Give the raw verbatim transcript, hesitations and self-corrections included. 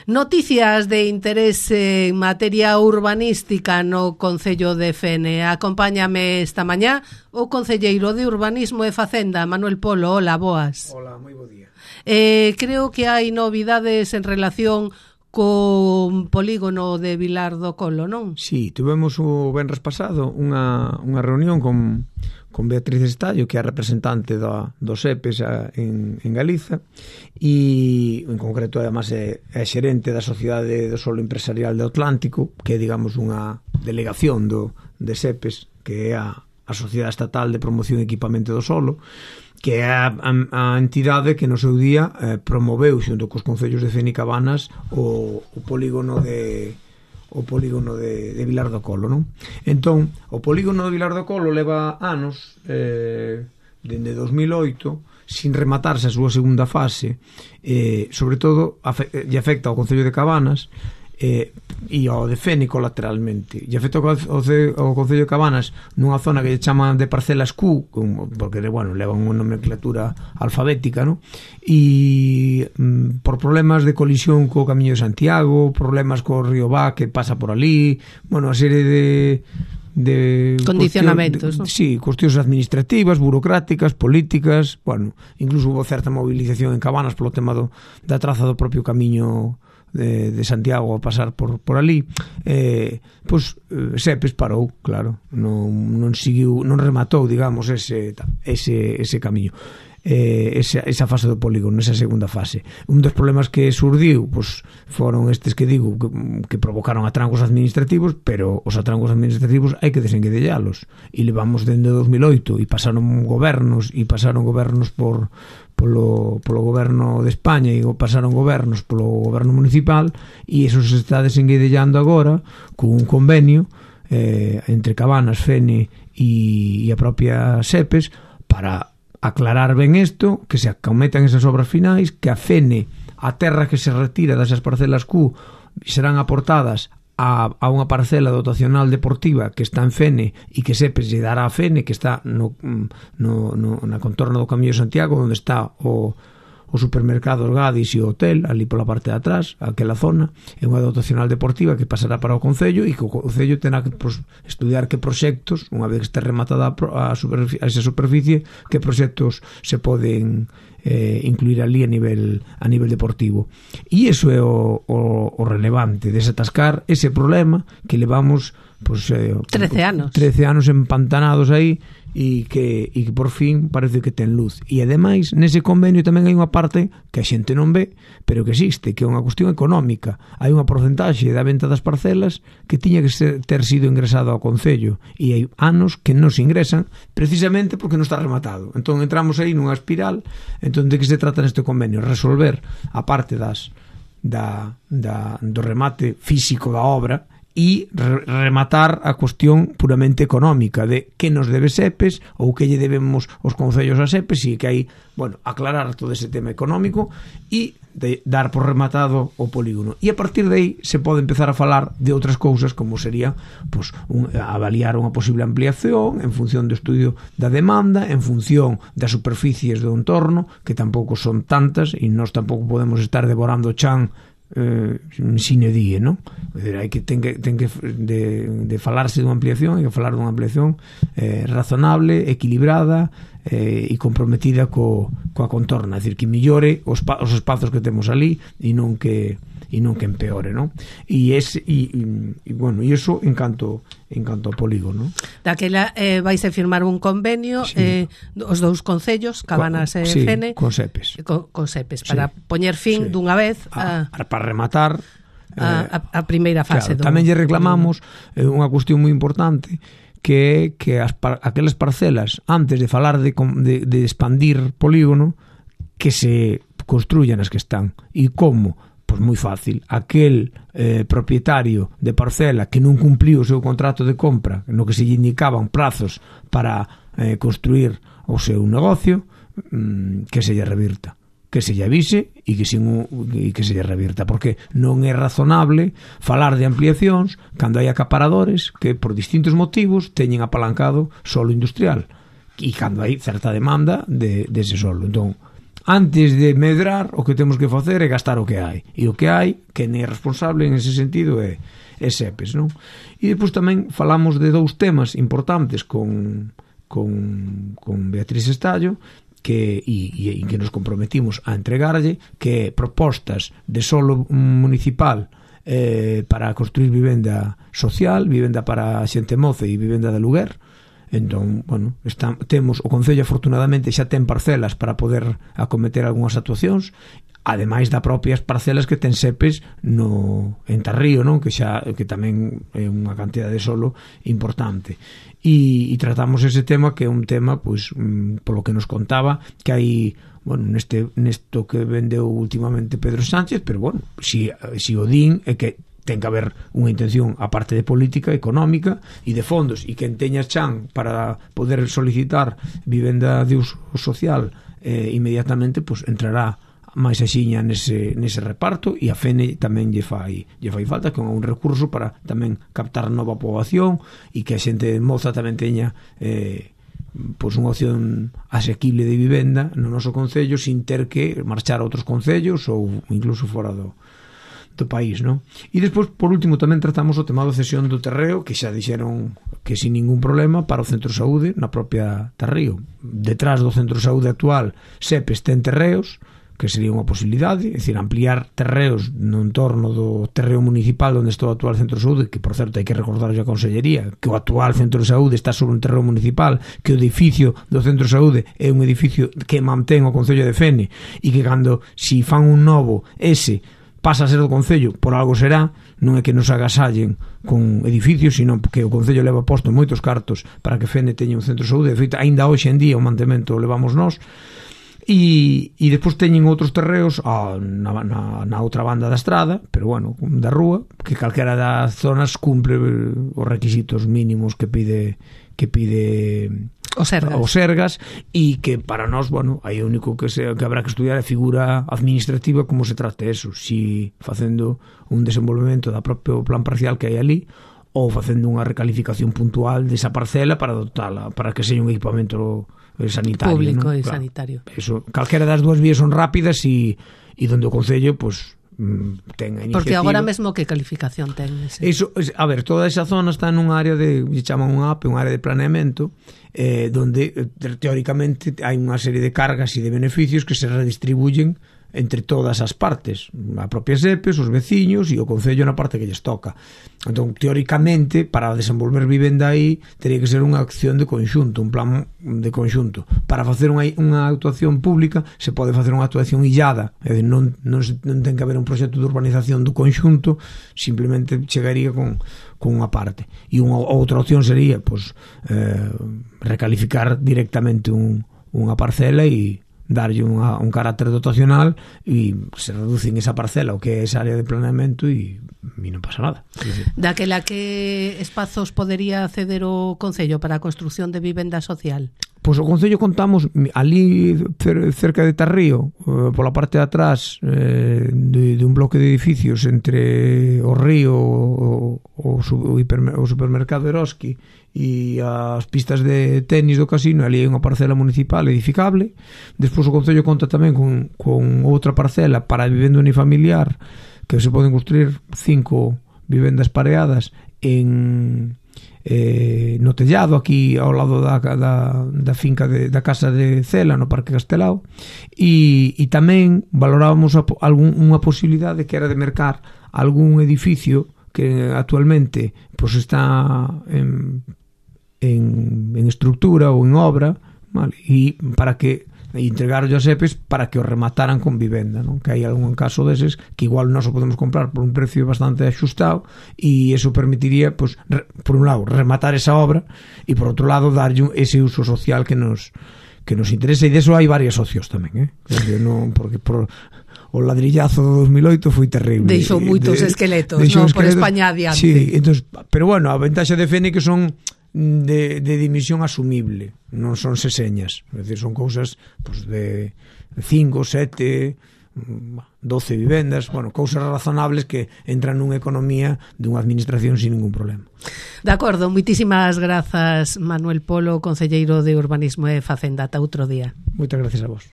Noticias de interese en materia urbanística no Concello de Fene. Acompáñame esta mañá o concelleiro de Urbanismo e Facenda, Manuel Polo. Hola, boas. Hola, moi bo día. Eh, creo que hai novidades en relación con polígono de Vilar do Colo, non? Sí, tuvemos o venres pasado unha, unha reunión con, con Beatriz Estallo, que é a representante do, do SEPES a, en, en Galiza, e en concreto además é, é xerente da Sociedade do Solo Empresarial do Atlántico, que é, digamos, unha delegación do, de SEPES, que é a, a Sociedade Estatal de Promoción e Equipamento do Solo, que é a, a, a entidade que no seu día eh, promoveu xunto cos concellos de Fene e Cabanas o, o polígono de o polígono de, de Vilar do Colo, non? Entón, o polígono de Vilar do Colo leva anos, eh, dende dos mil oito, sin rematarse a súa segunda fase, eh, sobre todo afe, lle afecta ao concello de Cabanas eh, e ao de Fene colateralmente, e afecta ao, ao concello de Cabanas nunha zona que lle chaman de parcelas Q, porque, bueno, levan unha nomenclatura alfabética, non? E mm, por problemas de colisión co Camiño de Santiago, problemas co río Ba que pasa por ali, bueno, a serie de de condicionamentos, cuestión, ¿no? Sí, cuestións administrativas, burocráticas, políticas, bueno, incluso hubo certa movilización en Cabanas polo tema do, da traza do propio Camiño de, de Santiago a pasar por, por ali, eh, pois eh, SEPES parou, claro, non, non seguiu, non rematou, digamos, ese, ese, ese camiño, eh, esa, esa fase do polígono, esa segunda fase. Un dos problemas que surdiu, pois, foron estes que digo, que, que provocaron atrancos administrativos, pero os atrancos administrativos hai que desenguedellalos, e levamos dende dos mil oito, e pasaron gobernos, e pasaron gobernos por polo, polo goberno de España, e pasaron gobernos polo goberno municipal, e eso se está desenguedellando agora con un convenio eh, entre Cabanas, Fene e, e a propia SEPES para aclarar ben isto, que se acometan esas obras finais, que a Fene, a terra que se retira desas parcelas Q, serán aportadas a, a unha parcela dotacional deportiva que está en Fene e que SEPES lle dará a Fene, que está no, no, no, na contorna do Camiño de Santiago, onde está o, o supermercado Gadis e o hotel, ali pola parte de atrás, aquela zona. É unha dotacional deportiva que pasará para o Concello, e que o Concello terá que pues, estudiar que proxectos, unha vez que este rematada a, superficie, a esa superficie, que proxectos se poden eh, incluir ali a nivel a nivel deportivo. E iso é o, o, o relevante, desatascar ese problema que levamos pues, eh, trece anos trece anos empantanados aí, e que, e que por fin parece que ten luz. E ademais, nese convenio tamén hai unha parte que a xente non ve, pero que existe, que é unha cuestión económica. Hai unha porcentaxe da venta das parcelas que tiña que ser, ter sido ingresado ao Concello, e hai anos que non se ingresan precisamente porque non está rematado. Entón entramos aí nunha espiral. Entón, de que se trata neste convenio? Resolver a parte das da, da, do remate físico da obra, e re- rematar a cuestión puramente económica de que nos debe SEPES ou que lle debemos os concellos a SEPES, e que hai, bueno, aclarar todo ese tema económico e de dar por rematado o polígono. E a partir de aí se pode empezar a falar de outras cousas, como sería pues, un, avaliar unha posible ampliación en función do estudio da demanda, en función das superficies do entorno, que tampouco son tantas, e nós tampouco podemos estar devorando o chan eh, sine die, non? Hai que ten que ten que de, de falarse dunha ampliación, hai que falar dunha ampliación eh, razonable, equilibrada eh, e comprometida co, coa contorna, é dicir, que millore os, os espazos que temos ali e non que e non que empeore, non? E ese e, e, e bueno, e iso en canto en canto ao polígono. Daquela eh, vais a firmar un convenio, sí. eh, os dous concellos, Cabanas e sí, Fene, con SEPES, con, con SEPES, para sí. poñer fin sí. dunha vez a, a, para rematar a, a, a primeira fase. Claro, do, tamén lle reclamamos eh, unha cuestión moi importante, que é que as, aquelas parcelas, antes de falar de, de, de expandir polígono, que se construyan as que están. E como? Pois moi fácil, aquel eh, propietario de parcela que non cumpliu o seu contrato de compra, no que se lle indicaban prazos para eh, construir o seu negocio, mmm, que se lle revirta, que se lle avise e que, sin, e que se lle revirta, porque non é razonable falar de ampliacións cando hai acaparadores que por distintos motivos teñen apalancado solo industrial, e cando hai certa demanda de, de ese solo. Entón, antes de medrar, o que temos que facer é gastar o que hai. E o que hai, que nem é responsable en ese sentido, é, é SEPES, non? E depois tamén falamos de dous temas importantes con, con, con Beatriz Estallo, que, e, e en que nos comprometimos a entregarlle, que é propostas de solo municipal eh, para construir vivenda social, vivenda para xente moza e vivenda de aluguer. Entón, bueno, está, temos o Concello afortunadamente xa ten parcelas para poder acometer algunhas actuacións, ademais da propias parcelas que ten SEPES no en Tarrío, non? Que xa que tamén é unha cantidade de solo importante. E, e tratamos ese tema, que é un tema, pois, mm, polo que nos contaba, que hai, bueno, neste nesto que vendeu últimamente Pedro Sánchez, pero bueno, si, si o din é que ten que haber unha intención a parte de política económica e de fondos, e quen teña chan para poder solicitar vivenda de uso social eh, inmediatamente, pues entrará máis axiña nese, nese reparto, e a FENE tamén lle fai, lle fai falta, que é un recurso para tamén captar nova poboación e que a xente moza tamén teña eh, pois unha opción asequible de vivenda no noso concello sin ter que marchar a outros concellos ou incluso fora do, do país, non? E despois, por último, tamén tratamos o tema da cesión do terreo, que xa dixeron que sin ningún problema para o Centro de Saúde na propia Tarrío. Detrás do Centro de Saúde actual, SEPES ten terreos, que sería unha posibilidade, é dicir, ampliar terreos no entorno do terreo municipal onde está o actual Centro de Saúde, que, por certo, hai que recordar a Consellería que o actual Centro de Saúde está sobre un terreo municipal, que o edificio do Centro de Saúde é un edificio que mantén o Concello de Fene, e que cando, si fan un novo, ese pasa a ser do Concello, por algo será, non é que nos agasallen con edificios, sino que o Concello leva posto moitos cartos para que Fene teña un Centro de Saúde. De feito, aínda hoxe en día o mantemento o levamos nós. E, e despois teñen outros terreos ah, na, na, na outra banda da estrada, pero bueno, da rúa, que calquera das zonas cumpre os requisitos mínimos que pide que pide o Sergas, o Sergas, e que para nós, bueno, aí o único que, se, que habrá que estudiar é a figura administrativa, como se trate eso, si facendo un desenvolvemento da propio plan parcial que hai ali, ou facendo unha recalificación puntual desa parcela para dotala, para que sexa un equipamento sanitario, público, ¿no? E Claro, sanitario. Eso, calquera das dúas vías son rápidas e, e donde o Concello, pues, ten a iniciativa. Porque agora mesmo que calificación ten ese? Eso, a ver, toda esa zona está nun área de, lle chaman un A P, un área de planeamento, eh, donde teóricamente hai unha serie de cargas e de beneficios que se redistribuyen entre todas as partes, a propia SEPES, os veciños e o Concello na parte que lles toca. Entón, teóricamente, para desenvolver vivenda aí, teria que ser unha acción de conxunto, un plan de conxunto. Para facer unha, unha actuación pública, se pode facer unha actuación illada, é dicir, non, non, non ten que haber un proxecto de urbanización do conxunto, simplemente chegaría con, con unha parte. E unha outra opción sería, pues, eh, recalificar directamente un, unha parcela e darlle unha, un carácter dotacional e se reducen esa parcela o que é esa área de planeamento e, e non pasa nada. Daquela que espazos podería ceder o Concello para a construción de vivenda social? Pois o Concello contamos ali cerca de Tarrío, eh, pola parte de atrás eh, de, de un bloque de edificios entre o río, o, o, o, hipermer, o supermercado Eroski e as pistas de tenis do casino, ali hai unha parcela municipal edificable. Despois o Concello conta tamén con, con outra parcela para vivenda unifamiliar, que se poden construir cinco vivendas pareadas en eh, no tellado aquí ao lado da, da, da finca de, da casa de Cela no Parque Castelao, e, e tamén valorábamos a, algún, unha posibilidade que era de mercar algún edificio que actualmente pues, está en En, en estructura ou en obra, vale? E para que entregar os SEPES para que os remataran con vivenda, non? Que hai algún caso deses que igual nós o podemos comprar por un precio bastante axustado e eso permitiría, pues, re, por un lado, rematar esa obra e por outro lado darlle ese uso social que nos que nos interesa, e deso hai varios socios tamén, eh? Porque, non, porque por o ladrillazo do dos mil oito foi terrible. Deixou moitos de, esqueletos, non, por España adiante. Sí, entonces, pero bueno, a ventaxa de Fene que son de, de dimisión asumible, non son seseñas, é dicir, son cousas pues, de cinco, sete, doce vivendas, bueno, cousas razonables que entran nunha economía dunha administración sin ningún problema. De acordo, moitísimas grazas, Manuel Polo, concelleiro de Urbanismo e Facenda. Ata outro día. Moitas gracias a vos.